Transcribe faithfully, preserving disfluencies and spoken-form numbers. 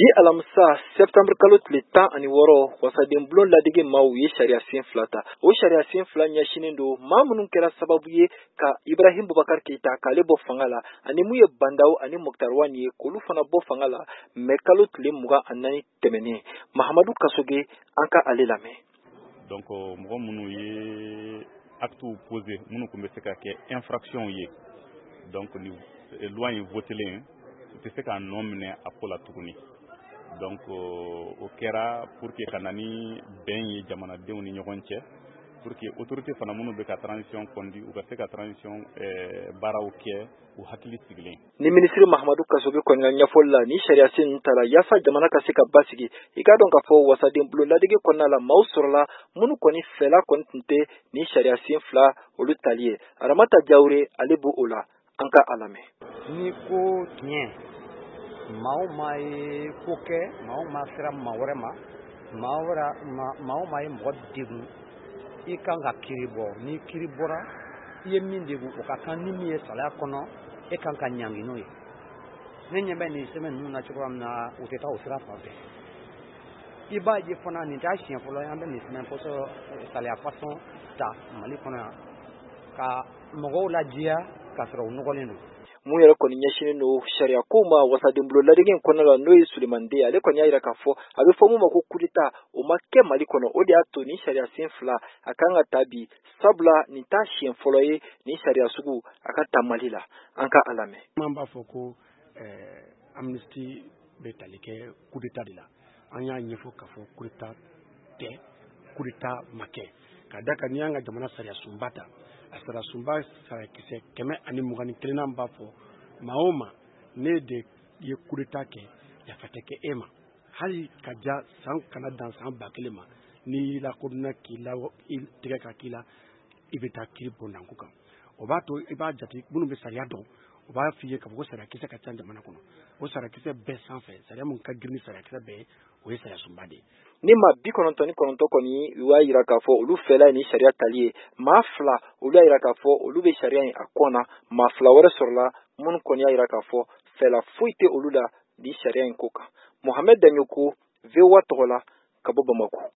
Bi alamisa septembre kalo tile tan ani wɔɔrɔ, wasaden bulon ladege maaw ye sariya sen fila ta. O sariya sen fila ɲɛsinnen don maa minnu kɛra sababu ye ka Ibrahim Boubacar Keita k'ale bɔ fanga la, ani mun ye Bandaw ani Moctar Ouane ye k'olu fana bɔ fanga la mɛ kalo tile mugan ani naani tɛmɛnen. Mahamadu Kasoge, an ka ale lamɛn. Donc mɔgɔ minnu ye actes posé minnu tun bɛ se ka kɛ infraction ye, donc ni loi in votelen, u tɛ se k'a nɔ minɛ a ko la tuguni. Donc o kɛra pour que ka na ni bɛn ye jamanadenw ni ɲɔgɔn cɛ, pour que autorité fana minnu bɛ ka transition conduit, u ka se ka transition baaraw kɛ u hakili sigilen. Ni minisiri Mahamadu Kasoge kɔni ka ɲɛfɔli la, ni sariya sen ninnu tara yaasa jamana ka se ka basigi. I k'a dɔn k'a fɔ wasaden bulon ladege kɔnɔna la, maaw sɔrɔla minnu kɔni fɛla kɔni tun tɛ ni sariya sen fila olu tali ye. Aramata Jawure, ale b'o o la, an ka a lamɛn. Ni ko tiɲɛ, maa o maa ye ko kɛ, maa o maa sera maa wɛrɛ ma, maa wɛrɛ, maa o maa ye mɔgɔ degun, i kan ka kiiri bɔ. Ni kiiri bɔra, i ye min degun, o ka kan ni min ye sariya kɔnɔ, e kan ka ɲangi n'o ye. Ne ɲɛ bɛ nin sɛbɛn ninnu na cogoya min na, u tɛ taa o sira fan fɛ. I b'a ye fana, nin t'a siɲɛ fɔlɔ ye an bɛ nin sɛbɛn fɔsɔ sariya façon ta Mali kɔnɔ yan ka mɔgɔw lajɛya k'a sɔrɔ u nɔgɔlen don. Mun yɛrɛ kɔni ɲɛsinnen don sariya kow ma wasadenbulon ladege in kɔnɔna la, n'o ye Sulemani Den, ale kɔni y'a jira k'a fɔ a bɛ fɔ mun ma ko coup d'état, o ma kɛ Mali kɔnɔ. O de y'a to nin sariya sen fila a kan ka ta bi, sabula nin t'a siɲɛ fɔlɔ ye nin sariya sugu a ka ta Mali la. An ka a lamɛn. An b'a fɔ ko ɛɛ amnistie bɛ tali kɛ coup d'état de la. An y'a ɲɛfɔ k'a fɔ coup d'état tɛ, coup d'état ma kɛ, ka da kan n'i y'an ka jamana sariya sunba ta, a sariya sunba sariyakisɛ kɛmɛ ani mugan ni kelennan b'a fɔ maa o maa ne de ye coup d'état kɛ, yafa tɛ kɛ e ma, hali ka ja san kana dan san ba kelen ma. N'i lakodɔnna k'i la i tɛgɛ ka k'i la, i bɛ taa kiiri bondanko kan. O b'a to i b'a jate minnu bɛ sariya dɔn, o b'a f'i ye k'a fɔ ko sariyakisɛ ka ca jamana kɔnɔ. O sariyakisɛ bɛɛ sanfɛ, sariya mun ka girin ni sariyakisɛ bɛɛ ye, o ye sariya sunba de ye. Ni maa bi kɔnɔntɔn ni kɔnɔntɔn kɔni u y'a jira k'a fɔ olu fɛla ye ni sariya tali ye, maa fila olu y'a jira k'a fɔ olu bɛ sariya in a kɔn na, maa fila wɛrɛ sɔrɔla minnu kɔni y'a jira k'a fɔ fɛla foyi tɛ olu la ni sariya in ko kan. Mohamed Daɲoko, V O A tɔgɔ la ka bɔ Bamakɔ.